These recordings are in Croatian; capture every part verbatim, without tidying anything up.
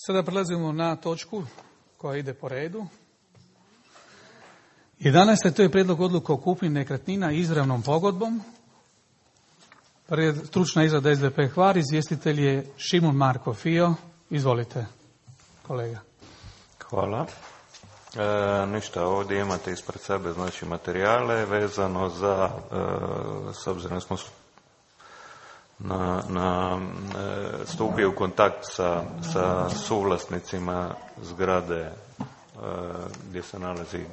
Sada prelazimo na točku koja ide po redu. jedanaesta. To je prijedlog odluke o kupnji nekretnina izravnom pogodbom. Stručna izrada S D P Hvar, izvjestitelj je Šimun Marko Fio. Izvolite, kolega. Hvala. E, ništa, ovdje imate ispred sebe znači materijale vezano za, e, s obzirom da smo na, na e, stupio u kontakt sa, sa suvlasnicima zgrade e, gdje se nalazi,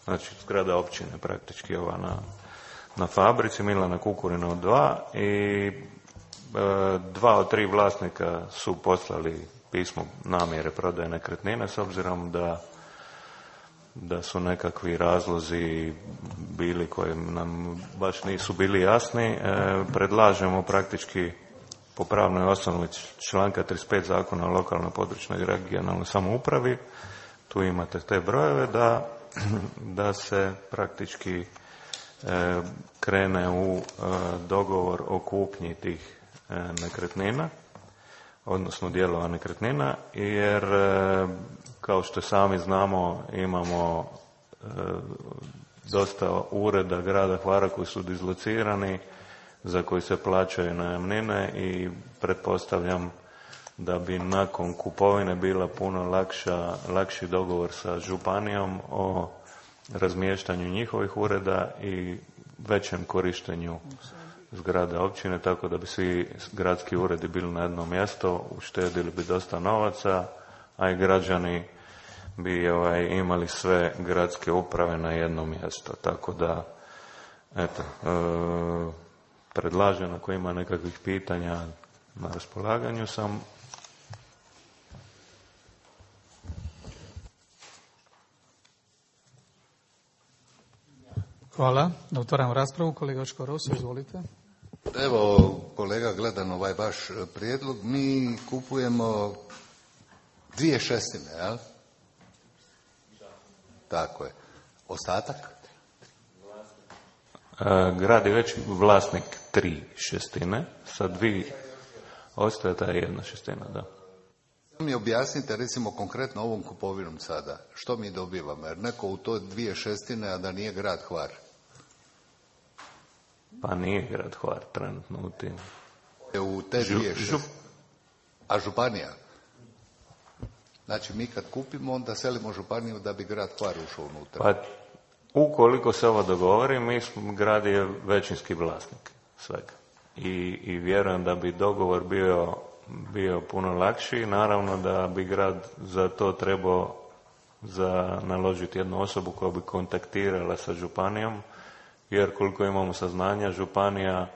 znači zgrada općine praktički ova na, na fabrici Milana Kukurina dva i e, dva od tri vlasnika su poslali pismo namjere prodaje nekretnine s obzirom da da su nekakvi razlozi bili koji nam baš nisu bili jasni. E, predlažemo praktički po pravnoj osnovi članka trideset pet Zakona o lokalnoj, područnoj i regionalnoj samoupravi, tu imate te brojeve, da, da se praktički e, krene u e, dogovor o kupnji tih e, nekretnina, odnosno dijelova nekretnina, jer kao što sami znamo imamo e, dosta ureda grada Hvara koji su dislocirani, za koji se plaćaju najamnine i pretpostavljam da bi nakon kupovine bila puno lakša, lakši dogovor sa županijom o razmještanju njihovih ureda i većem korištenju zgrade općine, tako da bi svi gradski uredi bili na jednom mjestu, uštedili bi dosta novaca, a i građani bi ovaj, imali sve gradske uprave na jedno mjesto. Tako da, eto, e, predlažem ako ima nekakvih pitanja na raspolaganju sam. Hvala. Da otvaramo raspravu. Kolega Očko Roso, izvolite. Evo, kolega, gledam ovaj vaš prijedlog. Mi kupujemo dvije šestine, jel? Tako je. Ostatak? E, grad je već vlasnik tri šestine, sa dvije ostaje ta jedna šestina, da. Mi objasnite, recimo, konkretno ovom kupovinom sada. Što mi dobivamo? Jer neko u to dvije šestine, a da nije grad Hvar. Pa nije grad Hvar trenutno u tim. U te dvije šestine. A županija? Znači, mi kad kupimo, onda selimo županiju da bi grad Hvar ušao unutra. Pa, ukoliko se ovo dogovori, mi smo, grad je većinski vlasnik svega. I, i vjerujem da bi dogovor bio, bio puno lakši. Naravno da bi grad za to trebao za naložiti jednu osobu koja bi kontaktirala sa županijom, jer koliko imamo saznanja, županija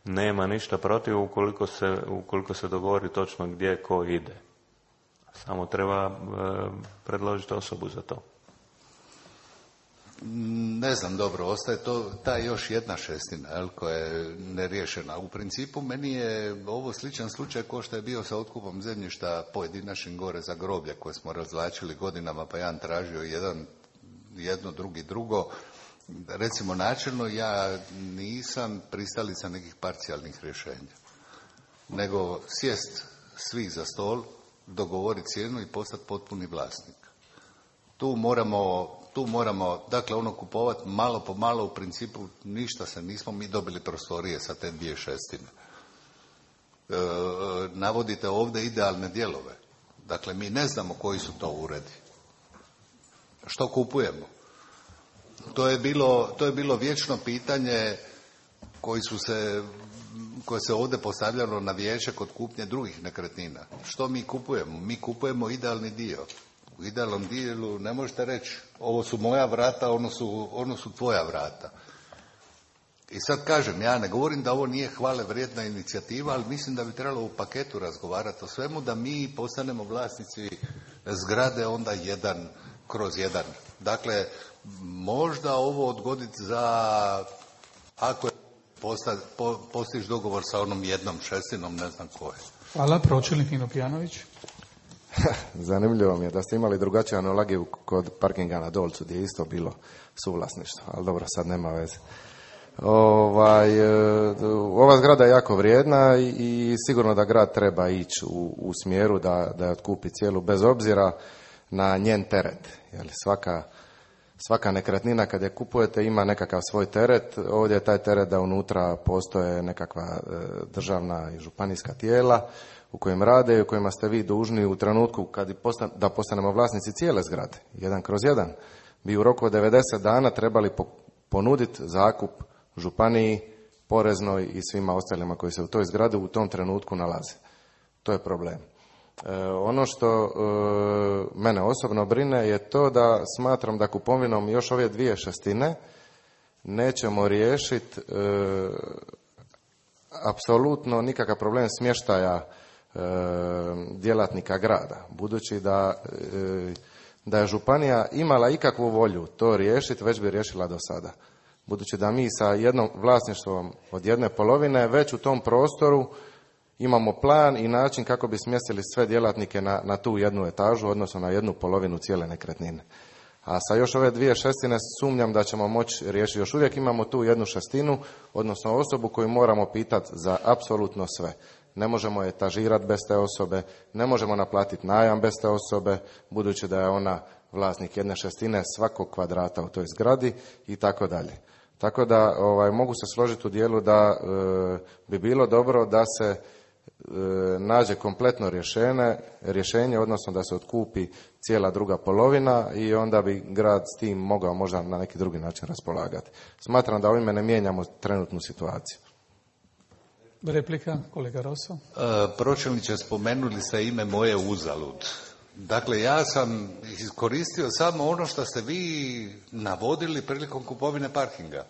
nema ništa protiv ukoliko se, ukoliko se dogovori točno gdje ko ide. Samo treba e, predložiti osobu za to. Ne znam, dobro, ostaje to ta još jedna šestina, jel, koja je neriješena. U principu meni je ovo sličan slučaj kao što je bio sa otkupom zemljišta pojedinačnim gore za groblje koje smo razvlačili godinama, pa jedan tražio jedan, jedno, drugi, drugo. Recimo, načelno ja nisam pristalica nekih parcijalnih rješenja, nego sjest svi za stol, dogovoriti cijenu i postati potpuni vlasnik. Tu moramo, tu moramo, dakle, ono kupovati malo po malo, u principu ništa se nismo mi dobili prostorije sa te dvije šestine. E, navodite ovdje idealne dijelove. Dakle, mi ne znamo koji su to uredi. Što kupujemo? To je bilo, to je bilo vječno pitanje koji su se, koje se ovdje postavljalo na vijeće kod kupnje drugih nekretnina. Što mi kupujemo? Mi kupujemo idealni dio. U idealnom dijelu ne možete reći ovo su moja vrata, ono su, ono su tvoja vrata. I sad kažem, ja ne govorim da ovo nije hvale vrijedna inicijativa, ali mislim da bi trebalo u paketu razgovarati o svemu, da mi postanemo vlasnici zgrade onda jedan kroz jedan. Dakle, možda ovo odgoditi za, ako je posta, po, postiš dogovor sa onom jednom šestinom, ne znam koje. Hvala, pročelnik Nino Pijanović. Zanimljivo mi je da ste imali drugačiju analogiju kod parkinga na Dolcu, gdje je isto bilo suvlasništvo, ali dobro, sad nema veze. Ovaj, ova zgrada je jako vrijedna i, i sigurno da grad treba ići u, u smjeru da, da je otkupi cijelu, bez obzira na njen teret. Jer svaka, svaka nekretnina kad je kupujete ima nekakav svoj teret. Ovdje je taj teret da unutra postoje nekakva državna i županijska tijela u kojim rade i u kojima ste vi dužni u trenutku kad postan, da postanemo vlasnici cijele zgrade, jedan kroz jedan, bi u roku od devedeset dana trebali po, ponuditi zakup županiji, poreznoj i svima ostalima koji se u toj zgradi u tom trenutku nalaze. To je problem. E, ono što e, mene osobno brine je to da smatram da kupovinom još ove dvije šestine nećemo riješiti e, apsolutno nikakav problem smještaja e, djelatnika grada. Budući da, e, da je županija imala ikakvu volju to riješiti, već bi riješila do sada. Budući da mi sa jednom vlasništvom od jedne polovine već u tom prostoru imamo plan i način kako bi smjestili sve djelatnike na, na tu jednu etažu, odnosno na jednu polovinu cijele nekretnine. A sa još ove dvije šestine sumnjam da ćemo moći riješiti. Još uvijek imamo tu jednu šestinu, odnosno osobu koju moramo pitati za apsolutno sve. Ne možemo etažirati bez te osobe, ne možemo naplatiti najam bez te osobe, budući da je ona vlasnik jedne šestine svakog kvadrata u toj zgradi i tako dalje. Tako da ovaj, mogu se složiti u dijelu da e, bi bilo dobro da se e, nađe kompletno rješenje, rješenje, odnosno da se otkupi cijela druga polovina i onda bi grad s tim mogao možda na neki drugi način raspolagati. Smatram da ovime ne mijenjamo trenutnu situaciju. Replika, kolega Roso. E, pročelniče, spomenuli ste ime moje uzalud. Dakle, ja sam iskoristio samo ono što ste vi navodili prilikom kupovine parkinga.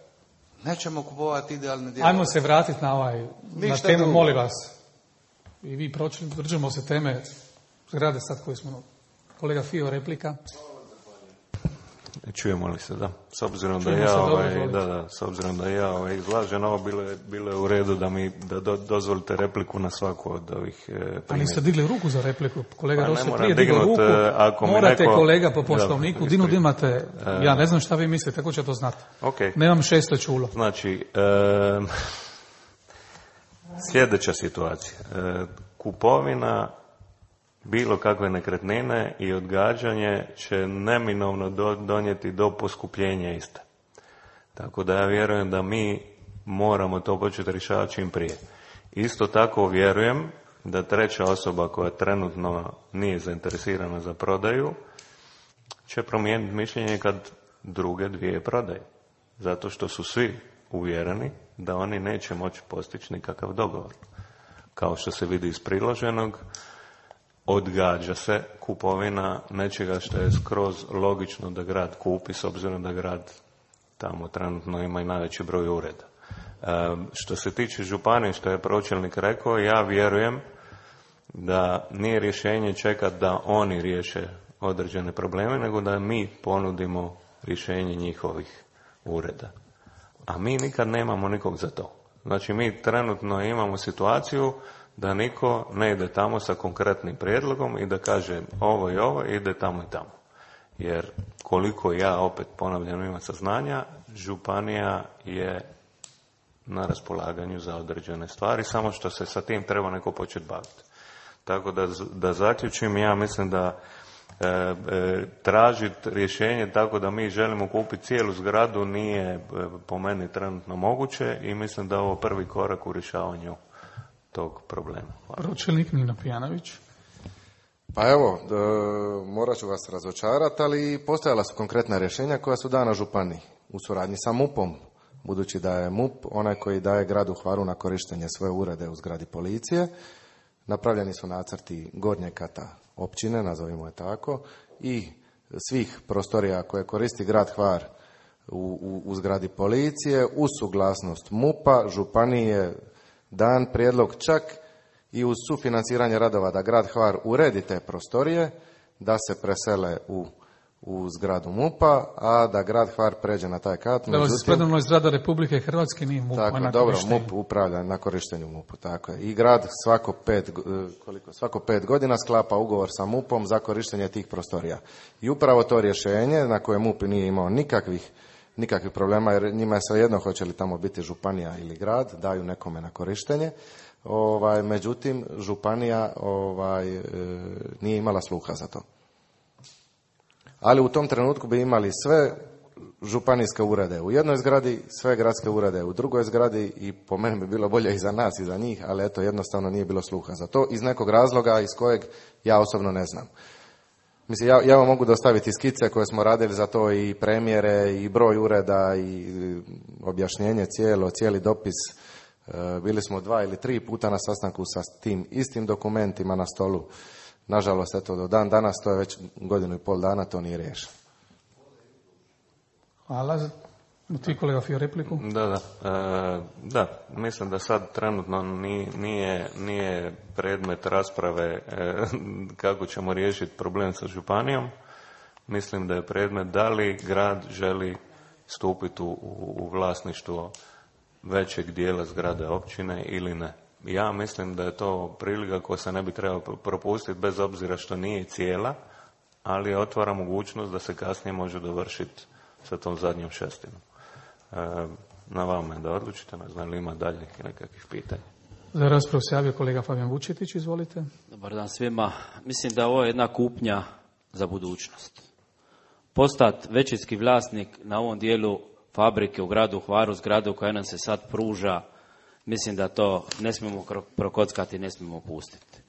Nećemo kupovati idealne dijelove. Ajmo se vratiti na ovaj, na temu, drugo. Molim vas. I vi pročelni, držimo se teme zgrade sad koju smo... Kolega Fio, replika. Čujemo li se, da. S obzirom da ja, ovaj, da, da, s obzirom da ja ovaj, izlažem, ovo bilo je, bilo je u redu da mi da do, dozvolite repliku na svaku od ovih e, primjera. A niste digli ruku za repliku? Kolega pa, Roso prije digao ruku. Ako morate neko, kolega po poslovniku. Dinu imate, ja ne znam šta vi mislite, kako će to znati. Okay. Nemam šesto čulo. Znači, e, sljedeća situacija. E, kupovina bilo kakve nekretnine i odgađanje će neminovno do, donijeti do poskupljenja iste. Tako da ja vjerujem da mi moramo to početi rješavati čim prije. Isto tako vjerujem da treća osoba koja trenutno nije zainteresirana za prodaju će promijeniti mišljenje kad druge dvije prodaju. Zato što su svi uvjereni da oni neće moći postići nikakav dogovor. Kao što se vidi iz priloženog, odgađa se kupovina nečega što je skroz logično da grad kupi, s obzirom da grad tamo trenutno ima i najveći broj ureda. E, što se tiče županije, što je pročelnik rekao, ja vjerujem da nije rješenje čekati da oni riješe određene probleme, nego da mi ponudimo rješenje njihovih ureda. A mi nikad nemamo nikog za to. Znači, mi trenutno imamo situaciju da niko ne ide tamo sa konkretnim prijedlogom i da kaže ovo i ovo, ide tamo i tamo. Jer koliko ja opet ponavljam imam saznanja, županija je na raspolaganju za određene stvari, samo što se sa tim treba neko početi baviti. Tako da, da zaključim, ja mislim da e, e, tražiti rješenje tako da mi želimo kupiti cijelu zgradu nije e, po meni trenutno moguće i mislim da je ovo prvi korak u rješavanju tog problema. Pročelnik Nino Pijanović. Pa evo, e, morat ću vas razočarati, ali postojala su konkretna rješenja koja su dana županiji u suradnji sa MUP-om, budući da je MUP onaj koji daje gradu Hvaru na korištenje svoje urede u zgradi policije. Napravljeni su nacrti gornjeg kata općine, nazovimo je tako, i svih prostorija koje koristi grad Hvar u, u, u zgradi policije, uz suglasnost MUP-a, županije, dan prijedlog čak i uz sufinanciranje radova da grad Hvar uredi te prostorije, da se presele u, u zgradu MUP-a, a da grad Hvar pređe na taj kat. Da, međutim, predano je zgrada Republike Hrvatske, nije MUP. Tako, na dobro, MUP upravlja na korištenju MUP-u, tako je. I grad svako pet, koliko, svako pet godina sklapa ugovor sa MUP-om za korištenje tih prostorija. I upravo to rješenje, na koje MUP nije imao nikakvih nikakvih problema, jer njima je svejedno hoće li tamo biti županija ili grad, daju nekome na korištenje. Ovaj, međutim, županija ovaj, e, nije imala sluha za to. Ali u tom trenutku bi imali sve županijske urede u jednoj zgradi, sve gradske urede u drugoj zgradi i po meni bi bilo bolje i za nas i za njih, ali eto, jednostavno nije bilo sluha za to iz nekog razloga iz kojeg ja osobno ne znam. Mislim, ja, ja vam mogu dostaviti skice koje smo radili za to i premjere i broj ureda i objašnjenje cijelo, cijeli dopis. Bili smo dva ili tri puta na sastanku sa tim istim dokumentima na stolu. Nažalost, eto, do dan danas, to je već godinu i pol dana, to nije riješeno. Hvala. Ti, kolega Fio, repliku? Da, da. E, da, mislim da sad trenutno nije, nije predmet rasprave e, kako ćemo riješiti problem sa županijom. Mislim da je predmet da li grad želi stupiti u, u vlasništvo većeg dijela zgrade općine ili ne. Ja mislim da je to prilika koja se ne bi trebala propustiti bez obzira što nije cijela, ali otvara mogućnost da se kasnije može dovršiti sa tom zadnjom šestinom. E, na vama je da odlučite, ne znam li ima daljnjih nekakvih pitanja. Za raspravu se javio kolega Fabijan Vučetić, izvolite. Dobar dan svima. Mislim da ovo je jedna kupnja za budućnost. Postati većinski vlasnik na ovom dijelu fabrike u gradu Hvaru, zgradu koja nam se sad pruža, mislim da to ne smijemo prokockati, ne smijemo pustiti.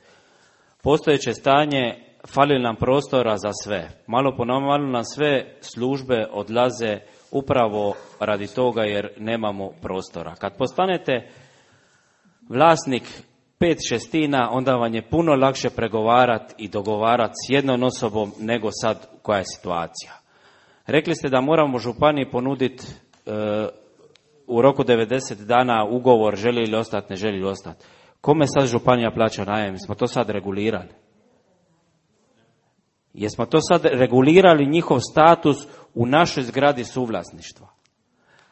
Postojeće stanje, fali nam prostora za sve. Malo po malo nam sve službe odlaze upravo radi toga jer nemamo prostora. Kad postanete vlasnik pet šestina, onda vam je puno lakše pregovarati i dogovarati s jednom osobom nego sad koja je situacija. Rekli ste da moramo županiji ponuditi e, u roku devedeset dana ugovor, želi li ostati, ne želi li ostati. Kome sad županija plaća najem? Jesmo to sad regulirali? Jesmo to sad regulirali njihov status u našoj zgradi suvlasništva?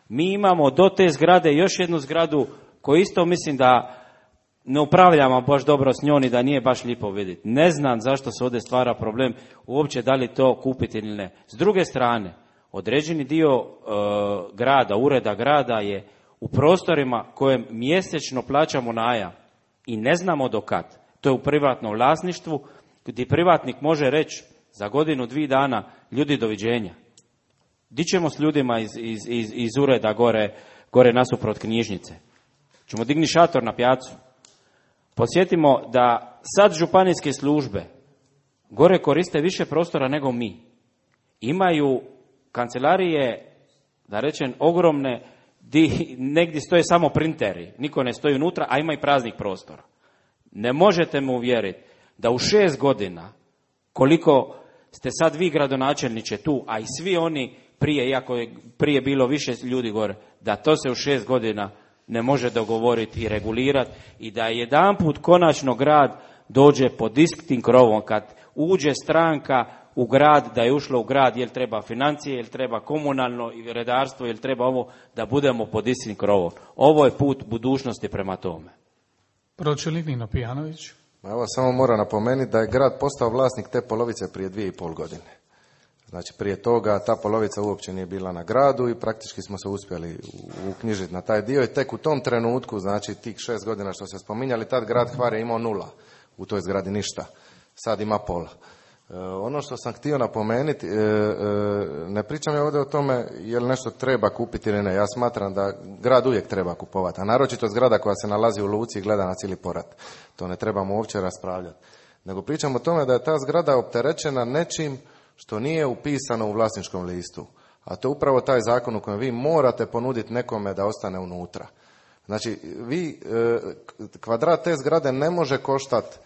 Mi imamo do te zgrade još jednu zgradu koju isto mislim da ne upravljamo baš dobro s njom i da nije baš lijepo vidjeti. Ne znam zašto se ovdje stvara problem uopće da li to kupiti ili ne. S druge strane, određeni dio e, grada, ureda grada je u prostorima kojem mjesečno plaćamo najam i ne znamo do kad. To je u privatnom vlasništvu gdje privatnik može reći za godinu, dvije dana, ljudi doviđenja. Di ćemo s ljudima iz, iz, iz, iz ureda gore, gore nasuprot knjižnice? Ćemo digni šator na pijacu? Podsjetimo da sad županijske službe gore koriste više prostora nego mi. Imaju kancelarije, da rečem, ogromne, di negdje stoje samo printeri, niko ne stoji unutra, a ima i praznih prostora. Ne možete me uvjeriti da u šest godina, koliko ste sad vi gradonačelniče tu, a i svi oni prije, iako je prije bilo više ljudi gore, da to se u šest godina ne može dogovoriti i regulirati i da jedanput konačno grad dođe pod istim krovom, kad uđe stranka u grad, da je ušlo u grad, jel treba financije, jel treba komunalno redarstvo, jel treba ovo, da budemo pod istim krovom. Ovo je put budućnosti prema tome. Pročelnik Nino Pijanović. Evo, samo moram napomenuti da je grad postao vlasnik te polovice prije dvije i pol godine. Znači, prije toga ta polovica uopće nije bila na gradu i praktički smo se uspjeli uknjižiti na taj dio i tek u tom trenutku, znači tih šest godina što ste spominjali, tad grad Hvar je imao nula, u toj zgradi ništa, sad ima pola. E, ono što sam htio napomenuti, e, e, ne pričam ja ovdje o tome je li nešto treba kupiti ili ne, ja smatram da grad uvijek treba kupovati, a naročito zgrada koja se nalazi u luci i gleda na cijeli porat, to ne trebamo uopće raspravljati. Nego pričam o tome da je ta zgrada opterećena nečim što nije upisano u vlasničkom listu. A to je upravo taj zakon u kojem vi morate ponuditi nekome da ostane unutra. Znači, vi, kvadrat te zgrade ne može koštati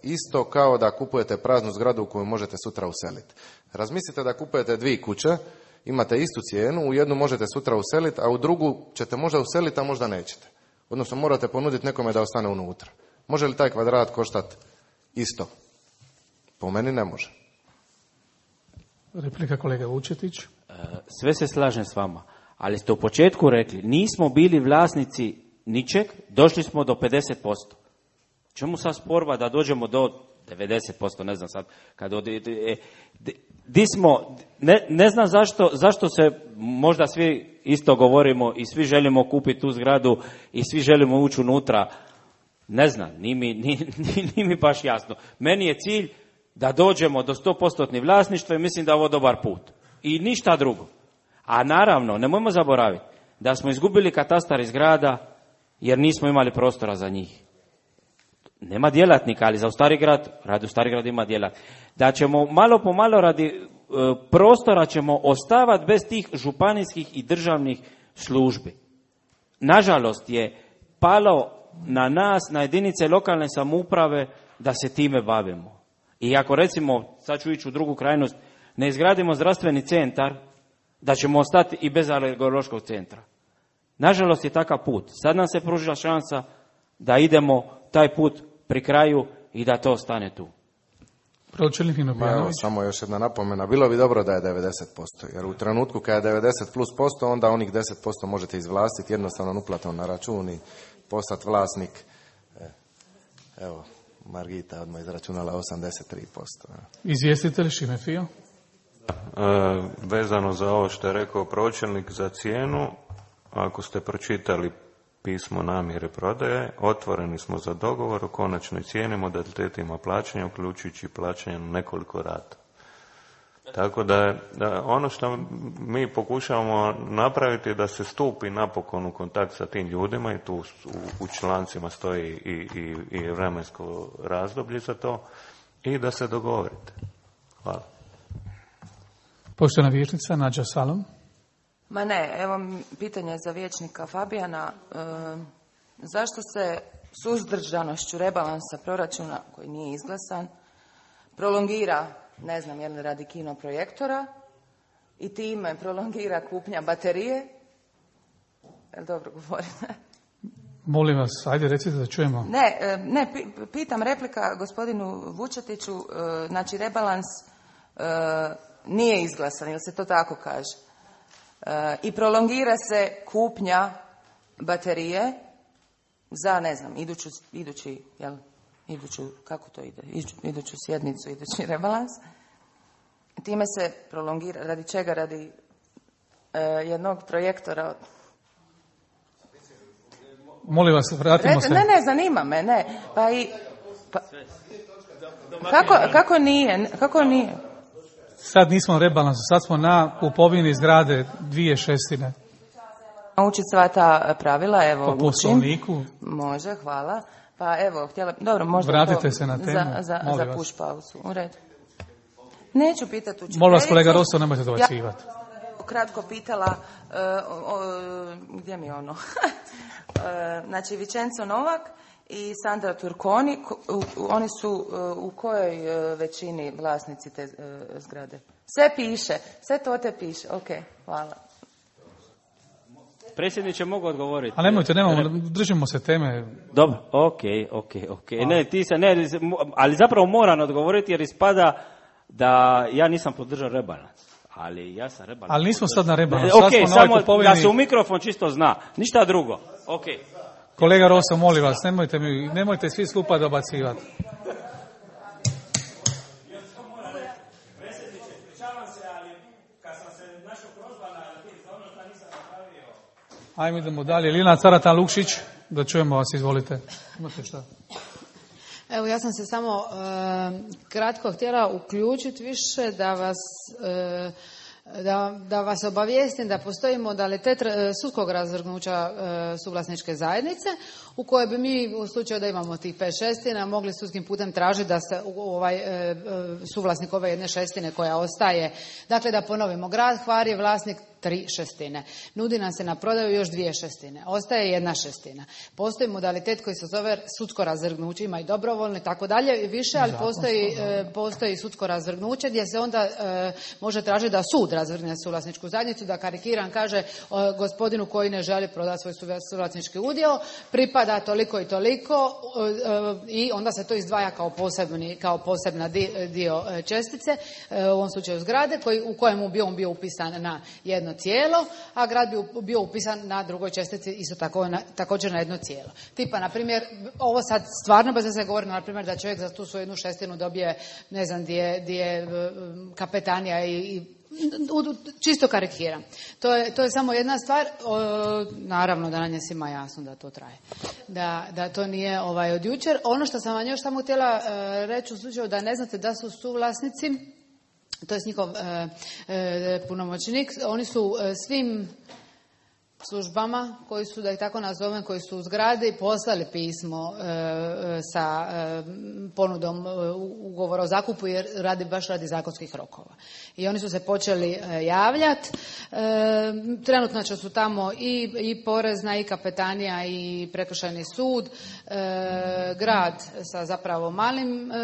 isto kao da kupujete praznu zgradu u koju možete sutra useliti. Razmislite da kupujete dvije kuće, imate istu cijenu, u jednu možete sutra useliti, a u drugu ćete možda useliti, a možda nećete. Odnosno, morate ponuditi nekome da ostane unutra. Može li taj kvadrat koštati isto? Po meni ne može. Replika kolega Vučetić. Sve se slažem s vama, ali ste u početku rekli, nismo bili vlasnici ničeg, došli smo do pedeset posto. Čemu sad sporba da dođemo do devedeset posto, ne znam sad, kad od, e, de, di smo, ne, ne znam zašto, zašto se možda svi isto govorimo i svi želimo kupiti tu zgradu i svi želimo ući unutra. Ne znam, nije mi, nije, nije mi baš jasno. Meni je cilj da dođemo do sto posto vlasništva i mislim da je ovo dobar put. I ništa drugo. A naravno, nemojmo zaboraviti da smo izgubili katastar iz grada jer nismo imali prostora za njih. Nema djelatnika, ali za u Stari grad, radi u Stari grad ima djelatnika. Da ćemo malo po malo radi e, prostora ćemo ostavati bez tih županijskih i državnih službi. Nažalost je palo na nas, na jedinice lokalne samouprave da se time bavimo. I ako recimo, sad ću ići u drugu krajnost, ne izgradimo zdravstveni centar, da ćemo ostati i bez alergološkog centra. Nažalost je takav put. Sad nam se pružila šansa da idemo taj put pri kraju i da to ostane tu. Pročelnik Nino Samo još jedna napomena. Bilo bi dobro da je devedeset posto, jer u trenutku kada je devedeset plus posto, onda onih deset posto možete izvlastiti jednostavno uplatom na račun i postati vlasnik. Evo, Margita odmah izračunala osamdeset tri posto. Izvjestitelj Šime Fio? E, vezano za ovo što je rekao pročelnik za cijenu, ako ste pročitali pismo namjere prodaje, otvoreni smo za dogovor o konačnoj cijeni, modalitetima plaćanja, uključujući plaćanje na nekoliko rata. Tako da, da ono što mi pokušavamo napraviti je da se stupi napokon u kontakt sa tim ljudima i tu u, u člancima stoji i, i, i vremensko razdoblje za to i da se dogovorite. Hvala. Poštovana vijećnica Nađa Salom. Ma ne, evo pitanje za vijećnika Fabijana. E, zašto se suzdržanošću rebalansa proračuna, koji nije izglasan, prolongira, ne znam je li radi kino projektora, i time prolongira kupnja baterije? Jel dobro govorim? Molim vas, ajde recite da čujemo. Ne, ne, pitam replika gospodinu Vučetiću, znači rebalans nije izglasan, ili se to tako kaže? I prolongira se kupnja baterije za, ne znam, iduću, idući, jel, iduću, kako to ide, iduću, iduću sjednicu, idući rebalans. Time se prolongira, radi čega? Radi uh, jednog projektora. Molim vas, vratimo Rete, se. Ne, ne, zanima me, ne. Pa i... Pa, kako, kako nije? Kako nije? Sad nismo na rebalansu, sad smo na kupovini zgrade dvije šestine. Naučiti sva ta pravila, evo, po poslovniku. Učim. Može, hvala. Pa evo, htjela, dobro, možda Vratite to se na temu, za, za, za push pauzu. U redu. Neću pitati učiteljicu. Molim vas, kolega Rosso, nemojte dobacivati. Ja kratko pitala, uh, o, o, gdje mi je ono? uh, znači, Vičenzo Novak i Sandra Turkoni, u, oni su uh, u kojoj uh, većini vlasnici te uh, zgrade? Sve piše, sve to te piše. Ok, hvala. Predsjedniče, mogu odgovoriti. A nemojte, nemamo, držimo se teme. Dobro, ok, ok, ok. Ne, ti se, ne, ali zapravo moram odgovoriti jer ispada da ja nisam podržao rebalans. Ali ja sam rebalans. Ali nismo podržao. sad na rebalans. Ok, sad samo kupovini... da se u mikrofon čisto zna. Ništa drugo. Ok. Kolega Rosso, molim vas, nemojte, mi, nemojte svi skupa dobacivati. Ajmo idemo dalje. Lina Caratan Lukšić, da čujemo vas, izvolite. Imate šta? Evo, ja sam se samo e, kratko htjela uključiti više da vas, e, da, da vas obavijestim da postoji modalitet sudskog razvrgnuća e, suvlasničke zajednice u kojoj bi mi u slučaju da imamo tih pet šestina mogli sudskim putem tražiti da se ovaj e, suvlasnik ove jedne šestine koja ostaje, dakle da ponovimo, grad Hvar je vlasnik tri šestine. Nudi nam se na prodaju još dvije šestine. Ostaje jedna šestina. Postoji modalitet koji se zove sudsko razvrgnuće, ima i dobrovoljno i tako dalje, više, ali postoji, e, postoji sudsko razvrgnuće gdje se onda e, može tražiti da sud razvrgne suvlasničku zajednicu, da karikiran kaže e, gospodinu koji ne želi prodati svoj suvlasnički udio, pripada pripada toliko i toliko i onda se to izdvaja kao, posebni, kao posebna dio čestice, u ovom slučaju zgrade, koji, u kojemu bi on bio upisan na jedno cijelo, a grad bi bio upisan na drugoj čestici isto tako, na, također na jedno cijelo. Tipa, na primjer, ovo sad stvarno bez da se govori, na primjer, da čovjek za tu svoju jednu šestinu dobije, ne znam, gdje je kapetanija i, i čisto karikiram. To je, to je samo jedna stvar, o, naravno da nam je svima jasno da to traje. Da, da to nije ovaj, od jučer. Ono što sam vam još samo htjela e, reći u slučaju da ne znate da su suvlasnici, to je njihov e, e, punomoćnik, oni su e, svim službama koji su, da ih tako nazovem, koji su u zgradi poslali pismo e, sa e, ponudom e, ugovora o zakupu jer radi baš radi zakonskih rokova. I oni su se počeli e, javljati. E, trenutno će su tamo i, i porezna i kapetanija i prekršajni sud, e, grad sa zapravo malim e,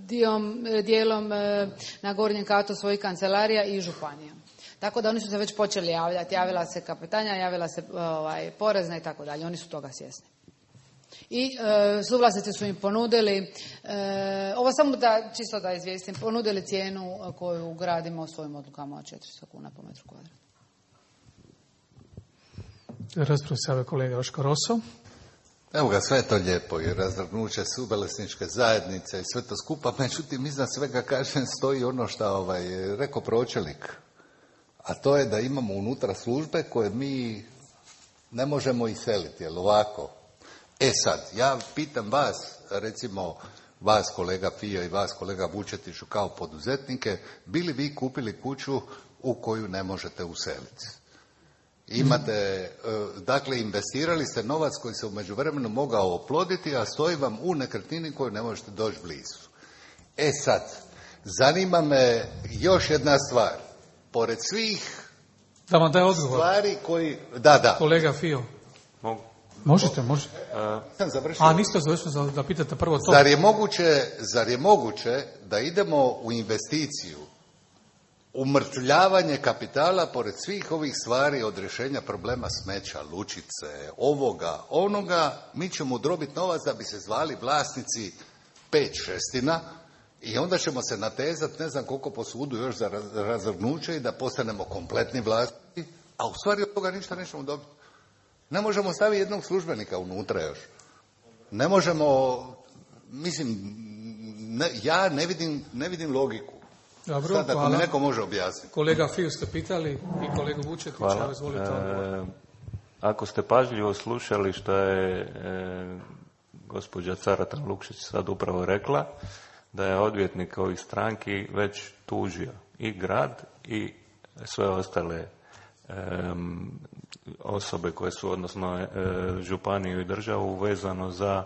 dijom, dijelom e, na gornjem katu svojih kancelarija i županija. Tako da oni su se već počeli javljati. Javila se kapetanja, javila se ovaj, porezna i tako dalje. Oni su toga svjesni. I e, suvlasnici su im ponudili, e, ovo samo da, čisto da izvijestim, ponudili cijenu koju gradimo svojim odlukama od četiristo kuna po metru kvadratnom. Raspravu se javio kolega Joško Roso. Evo ga, sve je to lijepo i razvrgnuće suvlasničke zajednice i sve to skupa, međutim iznad svega kažem stoji ono što ovaj, rekao pročelnik. A to je da imamo unutra službe koje mi ne možemo iseliti, jel ovako? E sad, ja pitam vas, recimo vas kolega Fio i vas kolega Vučetiću kao poduzetnike, bi li vi kupili kuću u koju ne možete useliti? Imate, dakle, investirali ste novac koji se u međuvremenu mogao oploditi, a stoji vam u nekretnini koju ne možete doći blizu. E sad, zanima me još jedna stvar. Pored svih da vam daj odgovor. Stvari koji... Da, da. Kolega Fio. Mogu. Možete, možete. Sam završio. A, niste završili da pitate prvo to. Zar je moguće, zar je moguće da idemo u investiciju, umrtvljavanje kapitala pored svih ovih stvari od rješenja problema smeća, lučice, ovoga, onoga, mi ćemo udrobiti novac da bi se zvali vlasnici pet šestina, i onda ćemo se natezati, ne znam koliko po sudu još za razvrgnuće i da postanemo kompletni vlasnici, a u stvari od toga ništa nećemo dobiti. Ne možemo staviti jednog službenika unutra još. Ne možemo, mislim, ne, ja ne vidim, ne vidim logiku. Dobro, sad, ako mi neko može objasniti. Kolega Fiju ste pitali i kolegu Vučetića, izvolite odgovor. E, ako ste pažljivo slušali što je e, gospođa Caratan Lukšić sad upravo rekla, da je odvjetnik ovih stranki već tužio i grad i sve ostale um, osobe koje su, odnosno e, županiju i državu vezano za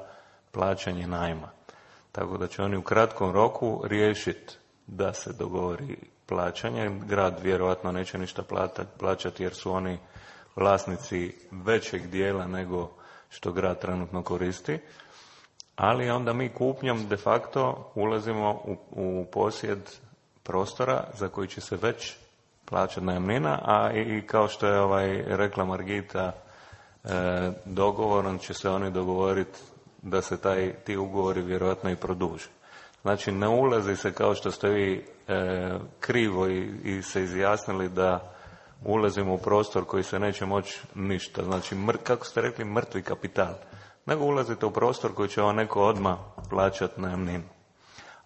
plaćanje najma. Tako da će oni u kratkom roku riješiti da se dogovori plaćanje. Grad vjerojatno neće ništa plaćati jer su oni vlasnici većeg dijela nego što grad trenutno koristi. Ali onda mi kupnjom de facto ulazimo u, u posjed prostora za koji će se već plaćati najamnina, a i, i kao što je ovaj rekla Margita, e, dogovorom će se oni dogovoriti da se taj, ti ugovori vjerojatno i produže. Znači ne ulazi se kao što ste vi e, krivo i, i se izjasnili da ulazimo u prostor koji se neće moći ništa. Znači, mr, kako ste rekli, mrtvi kapital. Nego ulazite u prostor koji će vam neko odmah plaćati najamninu.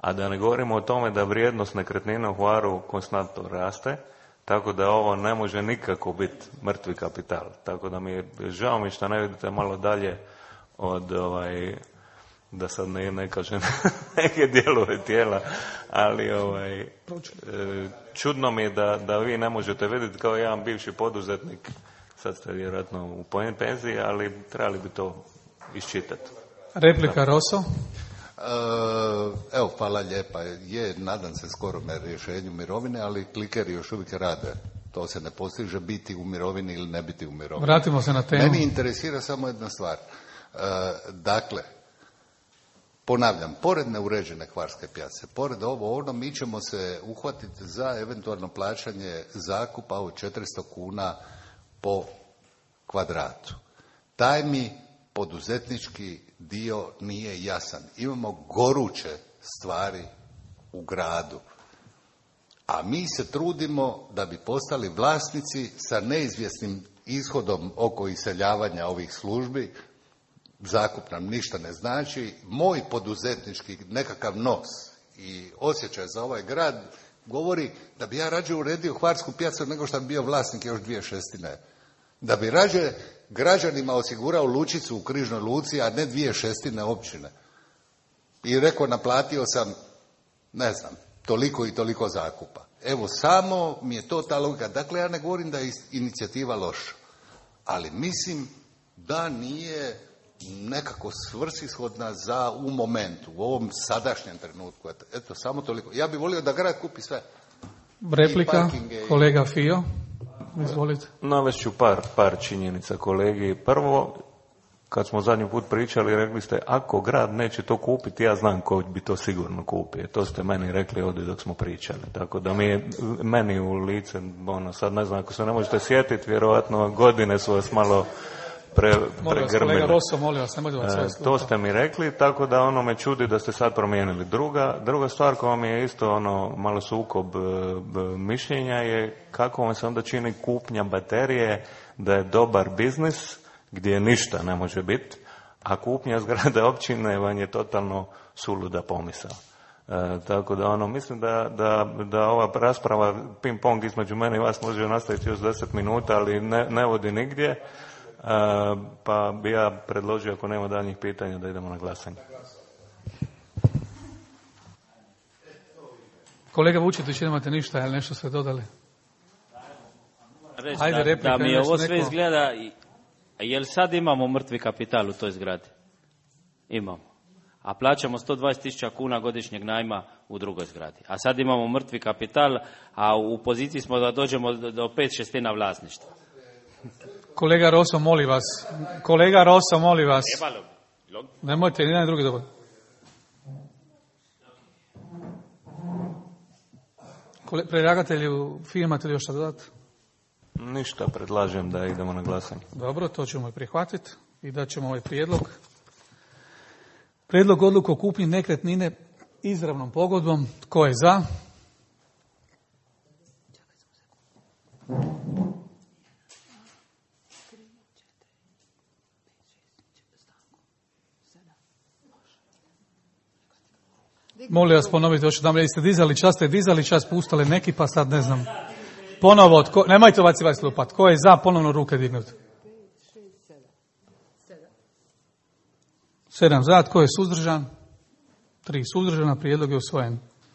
A da ne govorimo o tome da vrijednost nekretnina u Hvaru konstantno raste, tako da ovo ne može nikako biti mrtvi kapital. Tako da mi je žao mi što ne vidite malo dalje od, ovaj, da sad ne, ne kažem neke dijelove tijela, ali ovaj, čudno mi je da, da vi ne možete vidjeti kao jedan bivši poduzetnik, sad ste vjerojatno u penziji, ali trebali bi to iščitati. Replika Roso. Evo, hvala lijepa. Je, nadam se skoro me rješenju mirovine, ali klikeri još uvijek rade. To se ne postiže biti u mirovini ili ne biti u mirovini. Vratimo se na temu. Meni interesira samo jedna stvar. Dakle, ponavljam, pored neuređene Hvarske pijace, pored ovo ono, mi ćemo se uhvatiti za eventualno plaćanje zakupa od četiristo kuna po kvadratu. Taj mi poduzetnički dio nije jasan. Imamo goruće stvari u gradu, a mi se trudimo da bi postali vlasnici sa neizvjesnim ishodom oko iseljavanja ovih službi. Zakup nam ništa ne znači. Moj poduzetnički nekakav nos i osjećaj za ovaj grad govori da bi ja rađe uredio Hvarsku pijacu nego što bi bio vlasnik još dvije šestine. Da bi rađe građanima osigurao lučicu u Križnoj luci, a ne dvije šestine općine. I rekao, naplatio sam, ne znam, toliko i toliko zakupa. Evo, samo mi je to ta logika. Dakle, ja ne govorim da je inicijativa loša, ali mislim da nije nekako svrsishodna za u momentu, u ovom sadašnjem trenutku. Eto, samo toliko. Ja bih volio da grad kupi sve. Replika, kolega Fio. Izvolite. Navest par, par činjenica kolegi. Prvo, kad smo zadnji put pričali, rekli ste, ako grad neće to kupiti, ja znam ko bi to sigurno kupio. To ste meni rekli ovdje dok smo pričali. Tako da mi, meni u lice, ono, sad ne znam, ako se ne možete sjetiti, vjerojatno godine su vas malo pre, pregrmili. Kolega Rosso, molim vas, nemojte vas sve e, To ste mi rekli, tako da ono me čudi da ste sad promijenili. Druga, druga stvar koja mi je isto ono malo sukob e, mišljenja je kako vam se onda čini kupnja baterije da je dobar biznis gdje ništa ne može biti, a kupnja zgrade općine vam je totalno suluda pomisao. E, tako da ono, mislim da, da, da ova rasprava ping pong između mene i vas može nastaviti još deset minuta, ali ne, ne vodi nigdje. E, pa bi ja predložio, ako nema daljnjih pitanja, da idemo na glasanje. Kolega Vučetić, nemate ništa, ali nešto ste dodali? Reći Ajde, da, replika, da mi ovo sve neko... izgleda, jel sad imamo mrtvi kapital u toj zgradi? Imamo. A plaćamo sto dvadeset tisuća kuna godišnjeg najma u drugoj zgradi. A sad imamo mrtvi kapital, a u poziciji smo da dođemo do, do pet šestina vlasništva. Kolega Rosso, molim vas. Kolega Rosso, molim vas. Nemojte, ni jedan drugi dobar. Predlagatelju, imate li još šta dodati? Ništa, predlažem da idemo na glasanje. Dobro, to ćemo i prihvatiti i da ćemo ovaj prijedlog. Prijedlog odluke o kupnji nekretnine izravnom pogodbom. Tko je za? Molim vas ponoviti još jedan, ste dizali čas, ste dizali čas, pustali neki, pa sad ne znam. Ponovo, tko, nemojte ovacivati slupat. Tko je za, ponovno ruke dignuti? Sedam za, tko je suzdržan? Tri suzdržana, prijedlog je usvojen.